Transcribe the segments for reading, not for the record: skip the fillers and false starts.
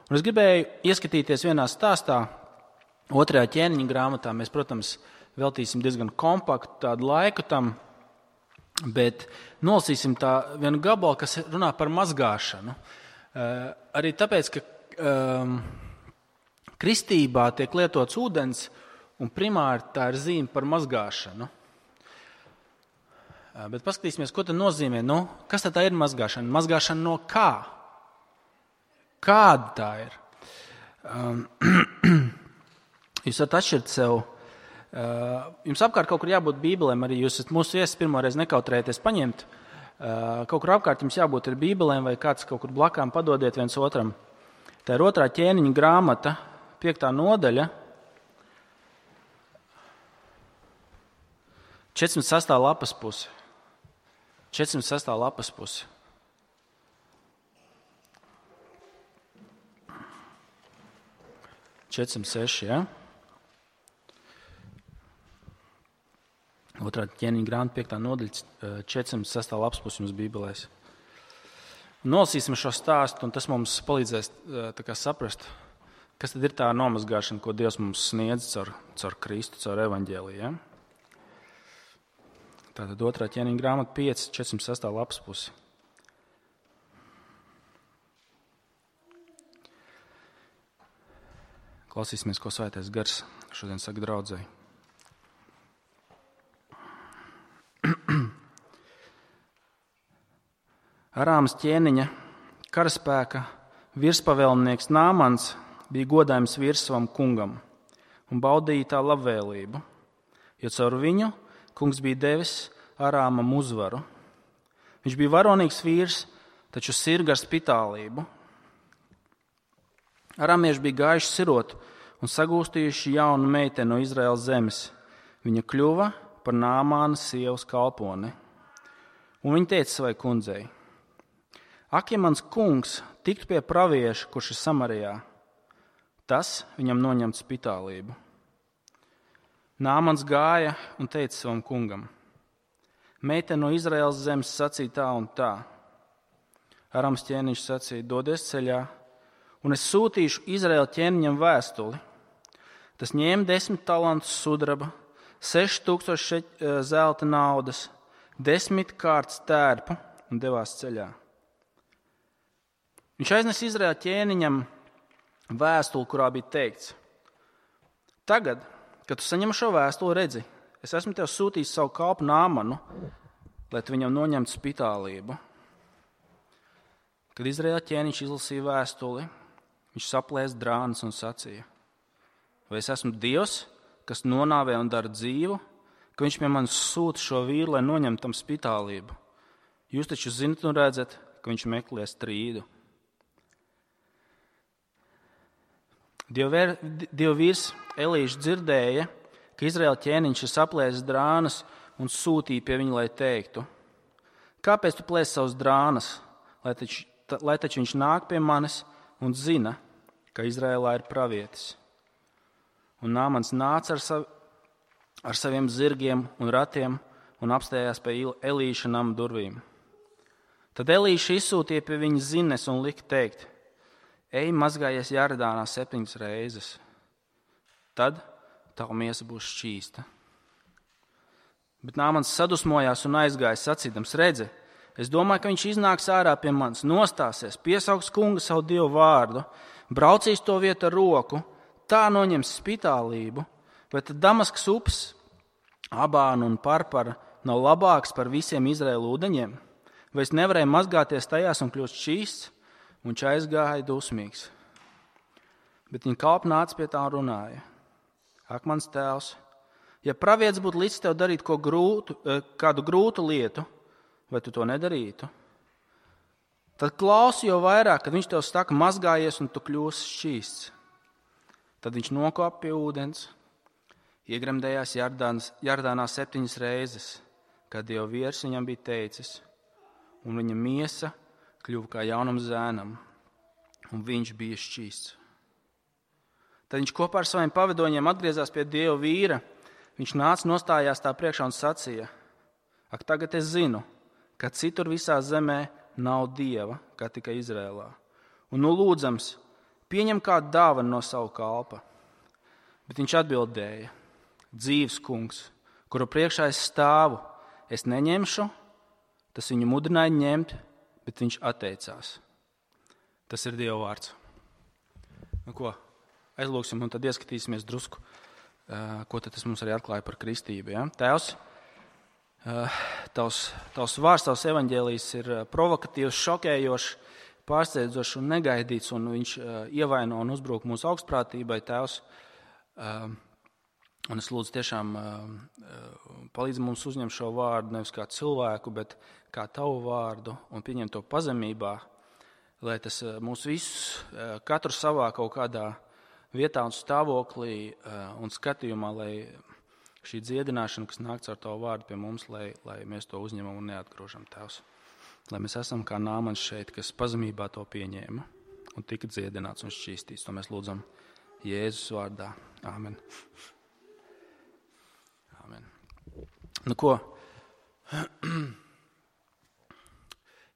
Un es gribēju ieskatīties vienā stāstā, 2. ķēniņa grāmatā. Mēs, protams, veltīsim diezgan kompaktu tādu laiku tam, bet nolasīsim tā vienu gabalu, kas runā par mazgāšanu. Arī tāpēc, ka kristībā tiek lietots ūdens, un primāri tā ir zīme par mazgāšanu. Bet paskatīsimies, ko tad nozīmē. Kas tad tā ir mazgāšana? Mazgāšana no kā? Kāda tā ir? Jūs varat atšķirt sev. Jums apkārt kaut kur jābūt bībelēm, arī jūs esat mūsu viesis, pirmoreiz nekautrējieties paņemt. Kaut kur apkārt jums jābūt ir bībelēm, vai kāds kaut kur blakām padodiet viens otram. Tā ir 2. ķēniņa grāmata, 5. nodaļa, 406. lapas puse. 406. lapas puse. Ja? 2. ķēniņa grāmata, 5. nodaļa, 406. lapas puse jums bībelēs. Nolasīsim šo stāstu, un tas mums palīdzēs saprast, kas tad ir tā nomazgāšana, ko Dievs mums sniedz caur Kristu, caur evaņģēliju. Ja? Tātad 2. ķēniņa grāmata 5, 406. lapas pusi. Klausīsimies, ko Svētais Gars šodien saka draudzei. Arāmas ķēniņa karaspēka virspavēlnieks Nāmans bija godājums vīrs savam kungam un baudīja tā labvēlību, jo caur viņu kungs bija devis Arāmam uzvaru. Viņš bija varonīgs vīrs, taču sirga ar spitālību. Arāmieši bija gājuši sirot un sagūstījuši jaunu meiteni no Izraēlas zemes. Viņa kļuva par Nāmāna sievas kalponi. Un viņa teica savai kundzei: ak, ja mans kungs tiktu pie pravieša, kurš ir Samarijā, tas viņam noņemt spitālību. Nāmans gāja un teica savam kungam: meitene no Izraēlas zemes sacīja tā un tā. Arāmas ķēniņš sacīja: dodies ceļā, un es sūtīšu Izraēla ķēniņam vēstuli. Tas ņēma 10 talantus sudraba, 6000 zelta naudas, 10 kārtas tērpu un devās ceļā. Viņš aiznes Izraēla ķēniņam vēstuli, kurā bija teikts: tagad, kad tu saņem šo vēstuli, redzi, es esmu tev sūtījis savu kalpu Nāmanu, lai tu viņam noņemtu spitālību. Kad Izraēla ķēniņš izlasīja vēstuli, viņš saplēsa drānas un sacīja: vai es esmu Dievs, kas nonāvē un dara dzīvu, ka viņš pie manis sūta šo vīru, lai noņemtu tam spitālību? Jūs taču zinat un redzat, ka viņš meklē strīdu. Dieva vīrs Elīšs dzirdēja, ka Izraēla ķēniņš ir saplēsis drānas un sūtīja pie viņa, lai teiktu: kāpēc tu plēsi savus drānas, lai taču viņš nāk pie manis un zina, ka Izraēlā ir pravietis. Un Nāmans nāca ar saviem zirgiem un ratiem un apstājās pie Elīša nama durvīm. Tad Elīša izsūtīja pie viņa zines un lika teikt: ej, mazgājies Jardānā 7 reizes. Tad tava miesa būs šķīsta. Bet Nāmans sadusmojās un aizgāja sacīdams: redzi, es domāju, ka viņš iznāks ārā pie manis, nostāsies, piesauks kunga savu Dievu vārdu, braucīs to vietu ar roku, tā noņems spitālību, vai tad Damaskas upes, Abāna un Parpara nav labāks par visiem Izraēla ūdeņiem? Vai es nevarēju mazgāties tajās un kļūst šķīsts? Un viņš aizgāja dusmīgs. Bet viņa kalpa nāca pie tā un runāja: ak, mans tēvs, ja pravietis būtu līdz tev darīt kādu grūtu lietu, vai tu to nedarītu? Tad klausi jau vairāk, kad viņš tev saka: mazgājies un tu kļūsi šķīsts. Tad viņš nokāpa pie ūdens, iegremdējās Jardānā 7 reizes, kad Dieva vīrs viņam bija teicis, un viņa miesa kļuva kā jaunam zēnam, un viņš bija šķīsts. Tad viņš kopā ar saviem pavadoņiem atgriezās pie Dieva vīra. Viņš nāca, nostājās tā priekšā un sacīja: ak, tagad es zinu, ka citur visā zemē nav Dieva, kā tikai Izrēlā. Un nu lūdzams, pieņem kādu dāvanu no savu kalpa. Bet viņš atbildēja, dzīvs kungs, kuru priekšā es stāvu, es neņemšu, tas viņu mudināja ņemt, bet viņš atteicās. Tas ir Dieva vārds. Nu ko, aizlūksim un tad ieskatīsimies drusku, ko tad tas mums arī atklāja par kristību. Ja? Tēvs, tavs vārds, tavs evaņģēlijs ir provokatīvs, šokējošs, pārsteidzošs un negaidīts, un viņš ievaino un uzbruk mūsu augstprātībai, Tēvs. Un es lūdzu tiešām palīdzi mums uzņemt šo vārdu nevis kā cilvēku, bet kā tavu vārdu un pieņemt to pazemībā, lai tas mūs visus, katru savā kaut kādā vietā un stāvoklī un skatījumā, lai šī dziedināšana, kas nāk caur tavu vārdu pie mums, lai mēs to uzņemam un neatgrožam, Tēvs. Lai mēs esam kā Nāmans šeit, kas pazemībā to pieņēma un tika dziedināts un šķīstīts. To mēs lūdzam Jēzus vārdā. Āmen. Āmen. Nu ko?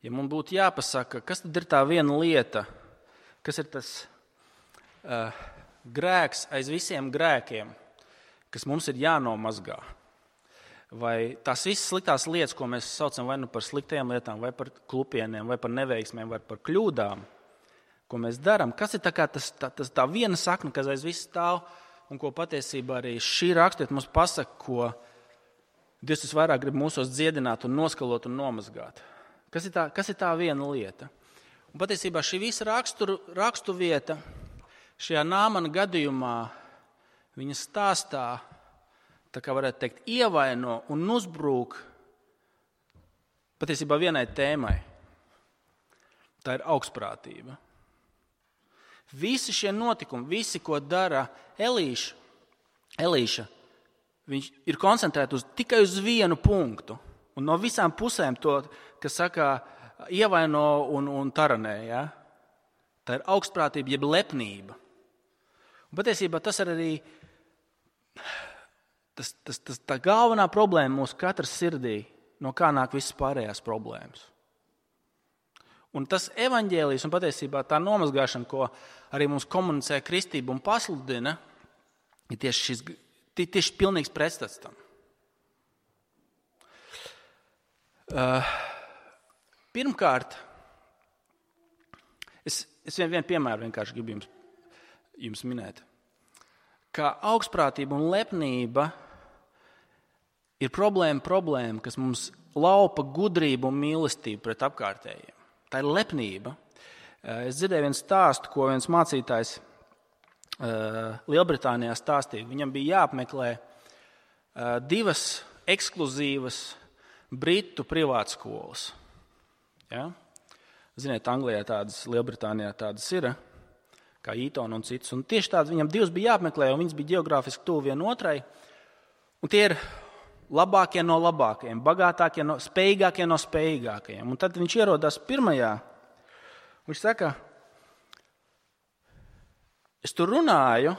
Ja man būtu jāpasaka, kas tad ir tā viena lieta, kas ir tas grēks aiz visiem grēkiem, kas mums ir jānomazgā, vai tās visas sliktās lietas, ko mēs saucam vai nu par sliktajām lietām, vai par klupieniem, vai par neveiksmēm, vai par kļūdām, ko mēs darām, kas ir tā viena sakna, kas aiz viss stāv, un ko patiesībā arī šī rakstiet mums pasaka, ko Dievs visvairāk grib mūsos dziedināt un noskalot un nomazgāt. Kas ir tā viena lieta? Un patiesībā šī visa rakstu vieta šajā Nāmana gadījumā viņa stāstā, tā kā varētu teikt, ievaino un uzbrūk patiesībā vienai tēmai. Tā ir augstprātība. Visi šie notikumi, visi, ko dara Elīša, viņš ir koncentrēts tikai uz vienu punktu. Un no visām pusēm to, kas saka, ievaino un taranē. Ja? Tā ir augstprātība, jeb lepnība. Un patiesībā tas ir arī tā galvenā problēma mūsu katras sirdī, no kā nāk visas pārējās problēmas. Un tas evaņģēlijs un patiesībā tā nomazgāšana, ko arī mums komunicē kristība un pasludina, ir tieši pilnīgs pretstats tam. Pirmkārt, es vienu piemēru vienkārši gribu jums minēt. Kā augstprātība un lepnība ir problēma, kas mums laupa gudrību un mīlestību pret apkārtējiem. Tā ir lepnība. Es dzirdēju vienu stāstu, ko viens mācītājs Lielbritānijā stāstīja. Viņam bija jāapmeklē 2 ekskluzīvas britu privātskolas. Ja? Ziniet, Anglijā tādas, Lielbritānijā tādas ir, kā Eton un citas. Un tieši tādas viņam 2 bija jāapmeklē, un viņas bija geogrāfiski tuvu vienotrai. Un tie ir labākie no labākajiem, bagātākie spējīgākie no spējīgākajiem. Un tad viņš ierodās pirmajā. Viņš saka, es tur runāju,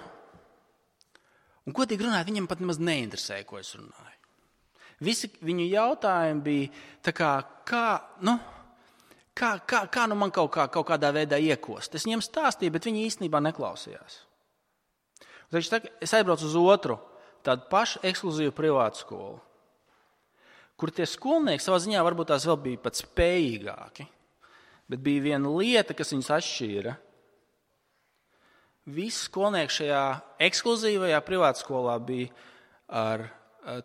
un godīgi runājot, viņam pat nemaz neinteresēja, ko es runāju. Visi viņu jautājumi bija tā kā man kaut kādā veidā iekost. Es viņiem stāstīju, bet viņi īstenībā neklausījās. Un viņš saka, es aizbraucu uz otru, tādu pašu ekskluzīvu privātu skolu, kur tie skolnieki savā ziņā varbūt tās vēl bija pat spējīgāki, bet bija viena lieta, kas viņus atšķīra. Visi skolnieki šajā ekskluzīvajā privātu skolā bija ar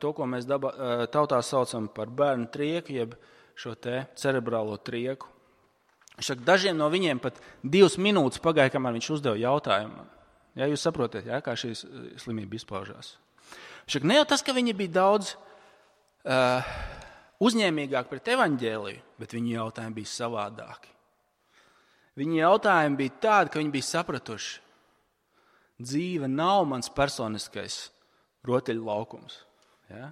to, ko mēs tautā saucam par bērnu trieku, jeb šo te cerebrālo trieku. Dažiem no viņiem pat 2 minūtes pagāja, kamēr viņš uzdeva jautājumu. Ja, jūs saprotat, ja, kā šī slimība izpaužās. Ne jau tas, ka viņi bija daudz uzņēmīgāki pret evaņģēliju, bet viņu jautājumi bija savādāki. Viņu jautājumi bija tādi, ka viņi bija sapratuši, dzīve nav mans personiskais rotaļu laukums. Ja?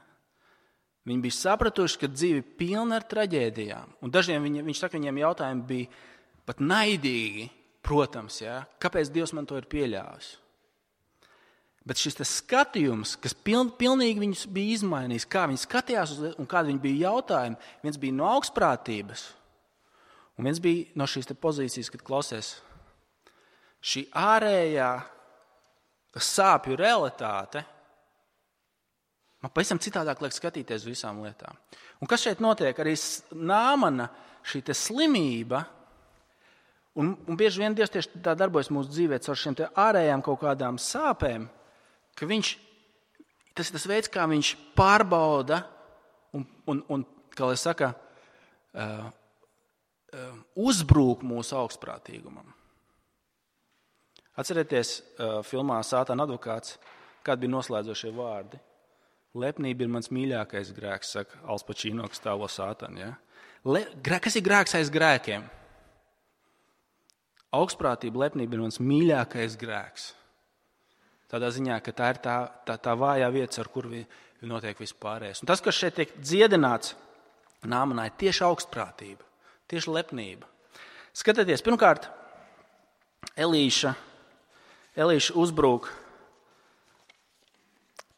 Viņi bija sapratuši, ka dzīve pilna ar traģēdijām. Un dažiem viņš saka, viņiem jautājumi bija pat naidīgi, protams, ja? Kāpēc Dievs man to ir pieļāvis? Bet šis skatījums, kas pilnīgi viņus bija izmainījis, kā viņi skatījās un kādi viņi bija jautājumi, viens bija no augstprātības, un viens bija no šīs pozīcijas, kad klausies, šī ārējā sāpju realitāte man pavisam citādāk liek skatīties visām lietām. Un kas šeit notiek? Arī Nāmana šī te slimība, un bieži vien Dievs tieši tā darbojas mūsu dzīvē caur šiem te ārējām kaut kādām sāpēm, ka tas ir tas veids, kā viņš pārbauda un kā lai saka, uzbrūk mūsu augstprātīgumam. Atcerieties filmā Sātana advokāts, kādi bija noslēdzošie vārdi. Lepnība ir mans mīļākais grēks, saka Al Pacino, kas tēlo Sātanu. Ja? Kas ir grēks aiz grēkiem? Augstprātība, lepnība ir mans mīļākais grēks. Tādā ziņā, ka tā ir tā vājā vieta, ar kur notiek vispārējais. Un tas, kas šeit tiek dziedināts Nāmanā, ir tieši augstprātība, tieši lepnība. Skatieties, pirmkārt, Elīša uzbrūk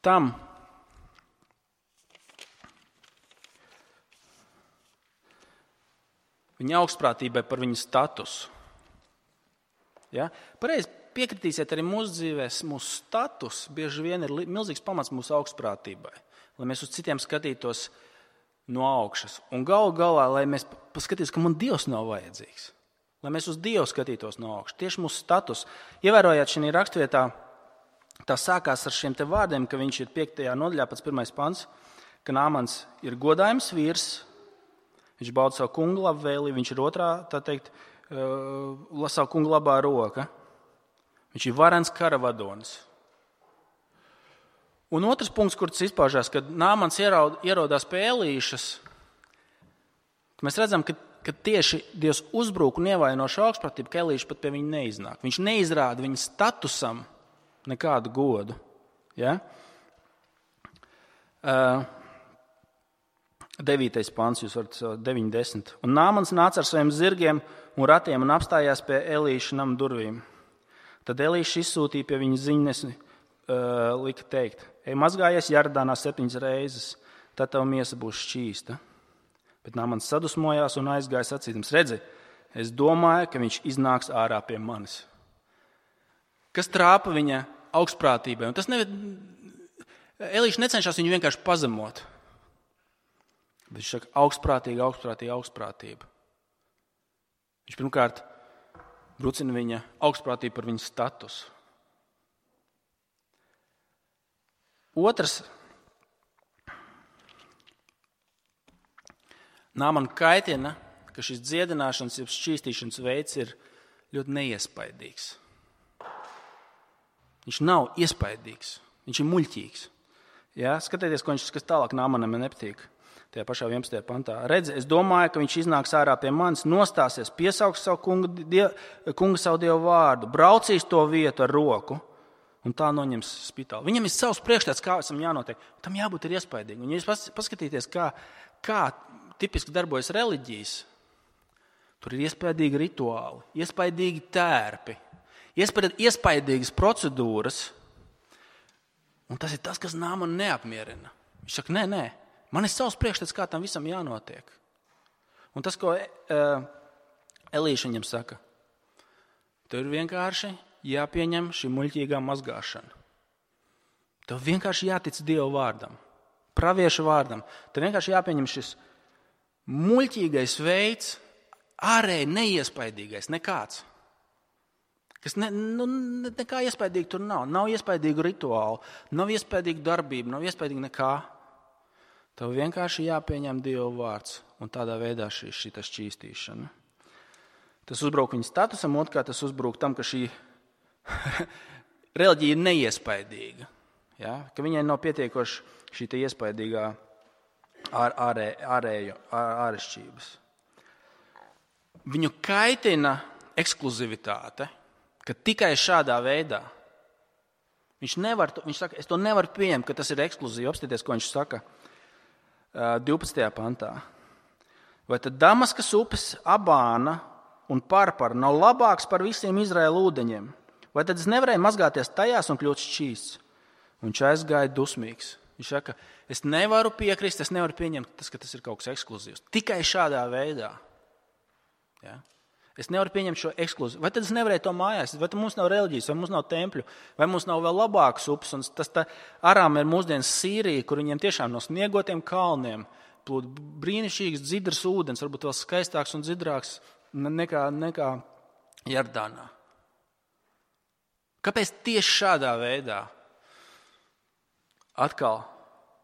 tam, viņa augstprātībai par viņu statusu. Ja? Pareizi piekritīsiet, arī mūsu dzīvēs mūsu status bieži vien ir milzīgs pamats mūsu augstprātībai, lai mēs uz citiem skatītos no augšas. Un galu galā, lai mēs paskatītos, ka man Dievs nav vajadzīgs. Lai mēs uz Dievu skatītos no augšas. Tieši mūsu status. Ievērojāt šajā rakstvietā, tā sākās ar šiem te vārdiem, ka viņš ir 5. nodaļā, pats 1. pants, ka Nāmans ir godājums vīrs, viņš bauda savu kungu labvēli, viņš ir otrā, tā teikt, savu kungu labā roka. Viņš ir varens karavadonis. Un otrs punkts, kur tas izpaužās, kad Nāmans ierodās pie Elīšas, mēs redzam, ka tieši Dievs uzbrūk un ievaino šo augstprātību, ka Elīša pat pie viņa neiznāk. Viņš neizrāda viņa statusam nekādu godu. Ja? 9. pants, jūs varat 9:10. Un Nāmans nāca ar saviem zirgiem un ratiem un apstājās pie Elīša nama durvīm. Tad Elīša izsūtīja pie viņa ziņnesi, lika teikt: Ej, mazgājies Jardānā 7 reizes, tad tava miesa būs šķīsta. Bet Nāmans sadusmojās un aizgāja sacīdams: Redzi, es domāju, ka viņš iznāks ārā pie manis. Kas trāpa viņa augstprātībai? Un tas Elīša necenšas viņu vienkārši pazemot. Bet viņš saka, augstprātība. Viņš pirmkārt brucina viņa augstprātību par viņa statusu. Otrs, Nāmanu kaitina, ka šis dziedināšanas, jeb šķīstīšanas veids ir ļoti neiespaidīgs. Viņš nav iespaidīgs, viņš ir muļķīgs. Ja? Skatieties, kas tālāk Nāmanam nepatīk. Tajā pašā 11. pantā. Redzi, es domāju, ka viņš iznāks ārā pie manis, nostāsies, piesauks savu kunga savu Dievu vārdu, braucīs to vietu ar roku un tā noņems spitāli. Viņam ir savs priekšstats, kā esam jānotiek. Tam jābūt ir iespaidīgi. Un ja jūs paskatīties, kā tipiski darbojas reliģijas, tur ir iespaidīgi rituāli, iespaidīgi tērpi, iespaidīgas procedūras. Un tas ir tas, kas Nāmanu neapmierina. Viņš saka, nē. Man ir savs priekšstats, kā tam visam jānotiek. Un tas, ko Elīša viņam saka, tev ir vienkārši jāpieņem šī muļķīgā mazgāšana. Tev vienkārši jātic Dieva vārdam, pravieša vārdam. Tev vienkārši jāpieņem šis muļķīgais veids, ārēji neiespaidīgais, nekāds. Kas nekā iespaidīgi tur nav. Nav iespaidīgu rituālu, nav iespaidīgu darbību, nav iespaidīgi nekā. Tev vienkārši jāpieņem Dieva vārds un tādā veidā šī šķīstīšana. Tas uzbruk viņa statusam, otrkārt tas uzbruk tam, ka šī reliģija ir neiespaidīga. Ja? Ka viņai nav pietiekoši šī iespaidīgā ārešķības. Viņu kaitina ekskluzivitāte, ka tikai šādā veidā viņš saka, es to nevaru pieņemt, ka tas ir ekskluzīvi. Apstāties, ko viņš saka 12. pantā. Vai tad Damaskas upes Abāna un Parpara nav labāks par visiem Izraēla ūdeņiem? Vai tad es nevarēju mazgāties tajās un kļūt šķīsts? Un viņš aizgāja dusmīgs. Viņš saka, es nevaru piekrist, es nevaru pieņemt, ka tas ir kaut kas ekskluzīvs. Tikai šādā veidā. Ja? Es nevaru pieņemt šo ekskluzīvu. Vai tad es nevarēju to mājās? Vai tad mums nav reliģijas, vai mums nav tempļu, vai mums nav vēl labākas upes? Un tas Arām ir mūsdienas Sīrija, kur viņiem tiešām no sniegotiem kalniem plūd brīnišķīgs dzidrs ūdens, varbūt vēl skaistāks un dzidrāks nekā Jordānā. Kāpēc tieši šādā veidā? Atkal,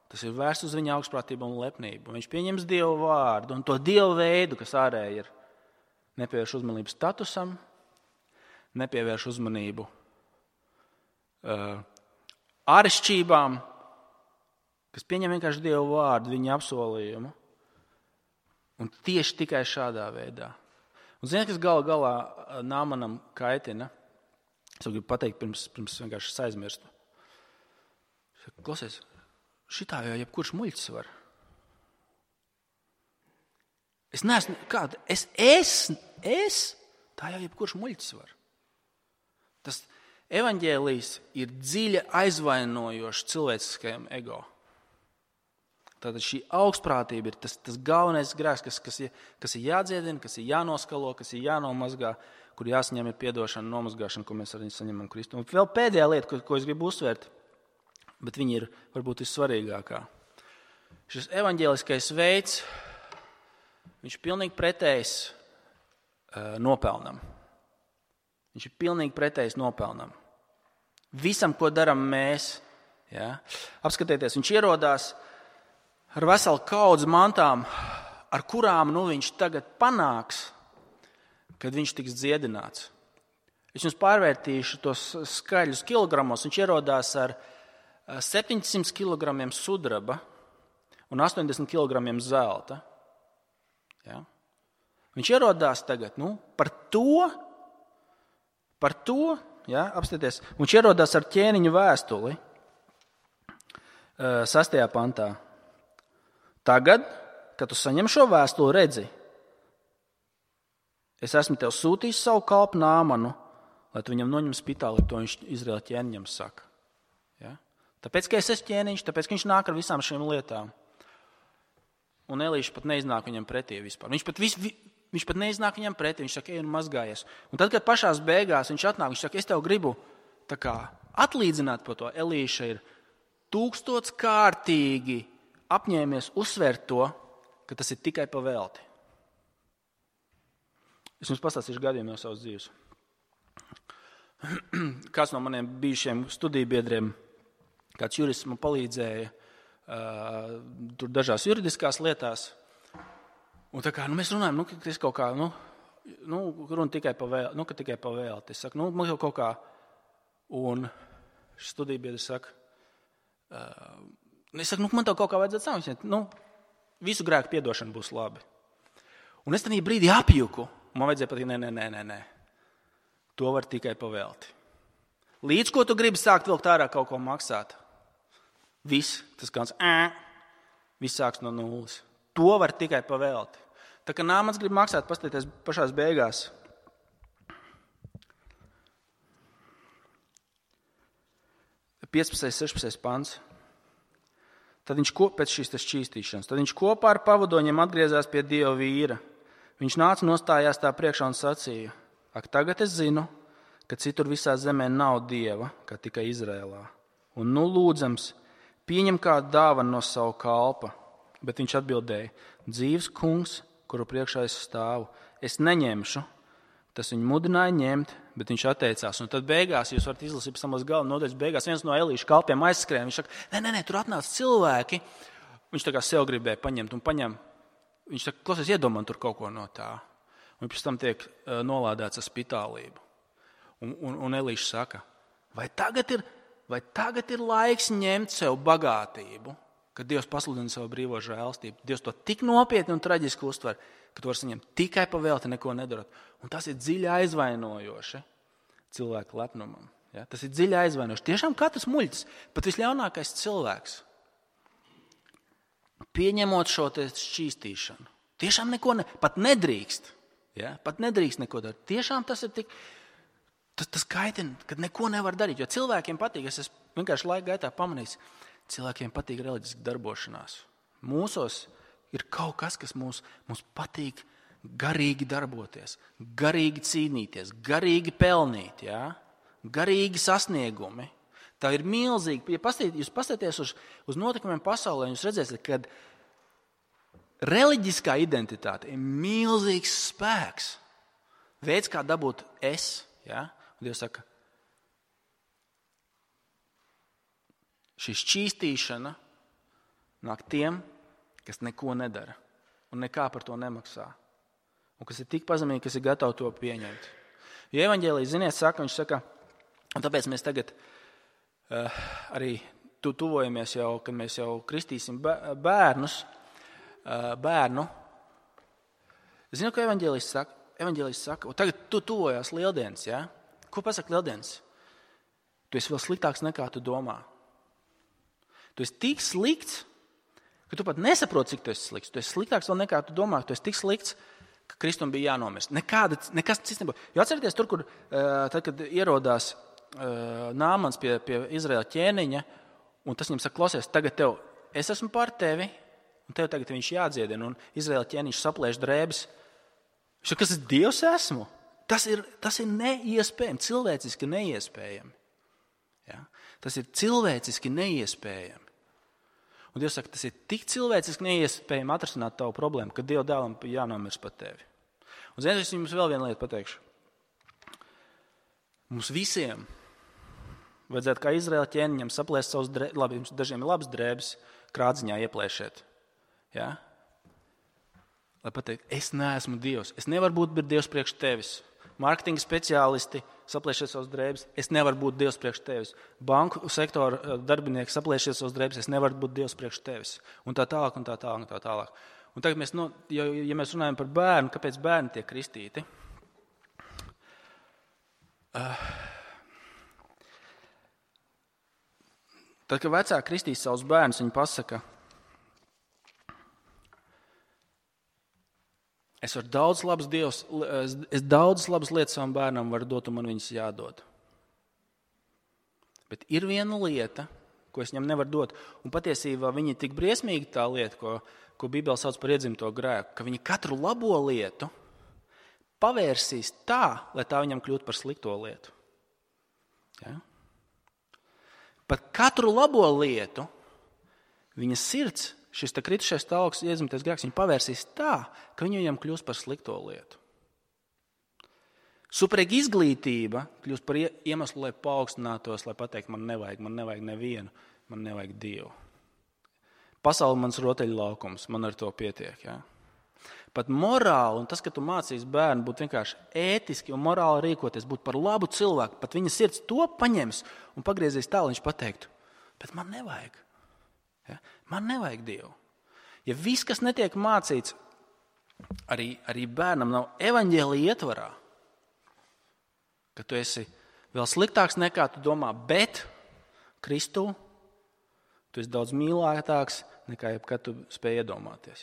tas ir vērsts uz viņa augstprātību un lepnību. Viņš pieņems Dievu vārdu un to Dievu veidu, kas ārēji ir. Nepievērš uzmanību statusam, nepievērš uzmanību āršķībām, kas pieņem vienkārši Dievu vārdu, viņa apsolījumu. Un tieši tikai šādā veidā. Un ziniet, kas galā Nāmanam kaitina? Es gribu pateikt, pirms vienkārši aizmirstu. Klausies, šitā jau jebkurš muļķis var. Es neesmu, kāda, tā jau jebkurš muļķis var. Tas evaņģēlijs ir dziļi aizvainojošs cilvēciskajam ego. Tātad šī augstprātība ir tas galvenais grēks, kas ir jādziedina, kas ir jānoskalo, kas ir jānomazgā, kur jāsaņem ir piedošana, nomazgāšana, ko mēs arī saņemam Kristu. Un vēl pēdējā lieta, ko es gribu uzsvērt, bet viņa ir varbūt vissvarīgākā. Šis evaņģēliskais veids, viņš ir pilnīgi pretējs nopelnam. Viņš ir pilnīgi pretējs nopelnam. Visam, ko daram mēs, ja? Apskatieties, viņš ierodās ar veselu kaudzi mantām, ar kurām viņš tagad panāks, kad viņš tiks dziedināts. Es jums pārvērtīšu tos skaļus kilogramos. Viņš ierodās ar 700 kilogramiem sudraba un 80 kilogramiem zelta. Ja? Viņš ierodās tagad par to, ja? Apstieties, viņš ierodās ar ķēniņu vēstuli 6. pantā. Tagad, kad tu saņem šo vēstuli, redzi, es esmu tev sūtījis savu kalpu Nāmanu, lai tu viņam noņem spitāli, to viņš Izraēla ķēniņam saka. Ja? Tāpēc, ka es esmu ķēniņš, tāpēc, ka viņš nāk ar visām šīm lietām. Un Elīša pat neiznāk viņam pretī vispār. Viņš pat neiznāk viņam pretī, viņš saka, ej un mazgājies. Un tad, kad pašās beigās viņš atnāk, viņš saka, es tev gribu atlīdzināt par to. Elīša ir 1000 kārtīgi apņēmies uzsvērt to, ka tas ir tikai pa velti. Es jums pastāstīšu gadījumu no savas dzīves. Kāds no maniem bijušiem studiju biedriem, kāds jurists man palīdzēja tur dažās juridiskās lietās. Un tā kā mēs runājam, ka es kaut kā, runa tikai pa velti, ka tikai pa velti. Es saku, man jau kaut kā, un šis studiju biedrs saka, es saku, man tev kaut kā vajadzētu sākt. Visu grēku piedošana būs labi. Un es tajā brīdī apjuku. Man vajadzēja pateikt, nē. To var tikai pa velti. Līdz ko tu gribi sākt vilkt ārā kaut ko maksāt. Viss, tas kāds, viss sāks no nulles. To var tikai pa velti. Tā kā Nāmans grib maksāt, paskatieties pašās beigās. Piecpadsmitais, 16. pants. Tad viņš pēc šīs šķīstīšanas, tad viņš kopā ar pavadoņiem atgriezās pie Dieva vīra. Viņš nāca nostājās tā priekšā un sacīja, ak, tagad es zinu, ka citur visā zemē nav Dieva, kā tikai Izrēlā. Un lūdzams, pieņem kādu dāvanu no savu kalpa. Bet viņš atbildēja, dzīves kungs, kuru priekšā es stāvu, es neņemšu. Tas viņu mudināja ņemt, bet viņš atteicās. Un tad beigās, jūs varat izlasīt samos galvu nodaļas beigās, viens no Elīša kalpiem aizskrēja. Viņš saka, nē, tur atnāca cilvēki. Viņš tā kā sev gribēja paņemt un paņem. Viņš saka, klausies, iedomā tur kaut ko no tā. Un pēc tam tiek nolādēts ar spitālību. Un Elīša saka, vai tagad ir laiks ņemt sev bagātību, kad Dievs pasludina savu brīvo žēlstību. Dievs to tik nopietni un traģiski uztver, ka tu vari saņemt tikai pa velti, neko nedarot. Un tas ir dziļi aizvainojoši cilvēku lepnumam. Ja? Tas ir dziļi aizvainojoši. Tiešām katrs muļķis, pat visļaunākais cilvēks, pieņemot šo šķīstīšanu, tiešām neko pat nedrīkst. Ja? Pat nedrīkst neko darīt. Tiešām tas ir tik, tas kaitina, kad neko nevar darīt. Jo cilvēkiem patīk, es esmu vienkārši laika gaitā pamanījis, cilvēkiem patīk reliģiski darbošanās. Mūsos ir kaut kas, kas mums patīk garīgi darboties, garīgi cīnīties, garīgi pelnīt, ja? Garīgi sasniegumi. Tā ir milzīgi. Ja jūs paskatāties uz notikumiem pasaulē, jūs redzēsiet, ka reliģiskā identitāte ir milzīgs spēks. Veids, kā dabūt es. Ja? Un Dievs saka, šī šķīstīšana nāk tiem, kas neko nedara un nekā par to nemaksā. Un kas ir tik pazemīgi, kas ir gatavi to pieņemt. Jo evaņģēlijas, ziniet, viņš saka, un tāpēc mēs tagad arī tuvojamies jau, kad mēs jau kristīsim bērnu. Zinu, ko evaņģēlijas saka? Evaņģēlijas saka, un tagad tu tuvojās lieldienas, ja? Ko pasaka lieldienas? Tu esi vēl sliktāks nekā tu domā. Tu esi tik slikts, ka tu pat nesaproti, cik tu esi slikts. Tu esi sliktāks vēl nekā tu domā. Tu esi tik slikts, ka Kristum bija jānomirst. Nekas cits nebūs. Jo atcerieties tur, kur tad, kad ierodās Nāmans pie Izraēla ķēniņa, un tas viņam saka, klausies, tagad es esmu par tevi, un tev tagad viņš jādziedina, un Izraēla ķēniņš saplēš drēbes. Viņš saka, kas es Dievs esmu? Tas ir neiespējami, cilvēciski neiespējami. Ja? Tas ir cilvēciski neiespējami. Un Dievs saka, tas ir tik cilvēciski neiespējami atrisināt tavu problēmu, ka Dieva dēlam jānomirst par tevi. Un ziniet, es jums vēl vienu lietu pateikšu. Mums visiem vajadzētu kā Izraēla ķēniņam saplēst savus drēbes, dažiem ir labas drēbes, krādziņā ieplēšēt. Ja? Lai pateikt, es neesmu Dievs, es nevaru būt Dievs priekš tevis. Mārketinga speciālisti saplēšiet savus drēbes, es nevaru būt Dievs priekš tevis. Banku sektora darbinieki saplēšiet savus drēbes, es nevaru būt Dievs priekš tevis. Un tā tālāk, un tā tālāk, un tā tālāk. Un tagad ja mēs runājam par bērnu, kāpēc bērni tiek kristīti? Tad, kad vecāki kristīs savus bērnus, viņi pasaka, es daudzas labas lietas savam bērnam varu dot, un man viņas jādod. Bet ir viena lieta, ko es viņam nevaru dot, un patiesībā viņa ir tik briesmīga tā lieta, ko Bībele sauc par iedzimto grēku, ka viņa katru labo lietu pavērsīs tā, lai tā viņam kļūtu par slikto lietu. Ja? Pat katru labo lietu viņa sirds, šis kritušais stāvoklis, iedzimtais grēks, viņa pavērsīs tā, ka viņa viņam kļūst par slikto lietu. Superīga izglītība kļūst par iemeslu, lai paaugstinātos, lai pateikt, man nevajag nevienu, man nevajag Dievu. Pasaule mans rotaļlaukums, man ar to pietiek. Ja? Pat morāli, un tas, ka tu mācīs bērnu būt vienkārši ētiski un morāli rīkoties, būt par labu cilvēku, pat viņa sirds to paņems un pagriezīs tā, lai viņš pateiktu, bet man nevajag. Ja? Man nevajag Dievu. Ja viss, kas netiek mācīts, arī bērnam nav evaņģēlija ietvarā, ka tu esi vēl sliktāks nekā tu domā, bet Kristū tu esi daudz mīlētāks nekā jebkad tu spēj iedomāties.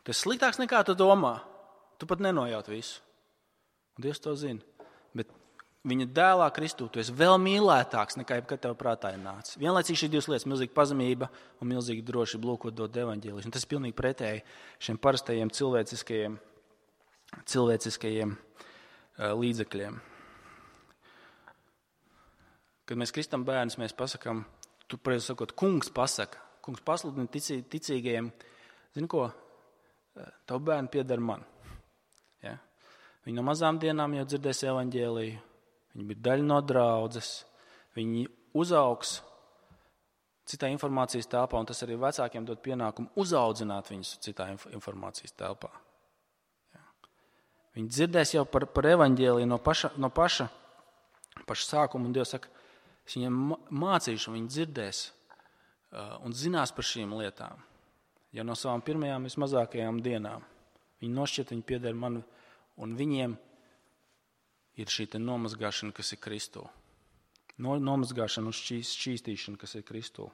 Tu esi sliktāks nekā tu domā. Tu pat nenojaut visu. Un Dievs to zina. Bet viņa dēlā Kristū tu esi vēl mīlētāks nekā jebkad tev prātā ir nācis. Vienlaicīgi šī divas lietas, milzīga pazemība un milzīga drošība lūkot dot evaņģēliju. Un tas ir pilnīgi pretēji šiem parastajiem cilvēciskajiem līdzekļiem. Kad mēs kristam bērnus, mēs pasakām, tu pareizi sakot, kungs pasaka. Kungs pasludina ticīgajiem, zini ko? Tavu bērnu pieder man. Ja? Viņi no mazām dienām jau dzirdēs evaņģēliju, viņi ir daļa no draudzes, viņi uzaugs citā informācijas telpā, un tas arī vecākiem dod pienākumu uzaudzināt viņus citā informācijas telpā. Ja? Viņi dzirdēs jau par evaņģēliju no paša sākuma, un Dievs saka, es viņiem mācīšu, un viņi dzirdēs un zinās par šīm lietām. Jau no savām pirmajām vismazākajām dienām. Viņi nošķiet, viņi pieder man, un viņiem ir šī nomazgāšana, kas ir Kristū. Nomazgāšana un šķīstīšana, kas ir Kristū.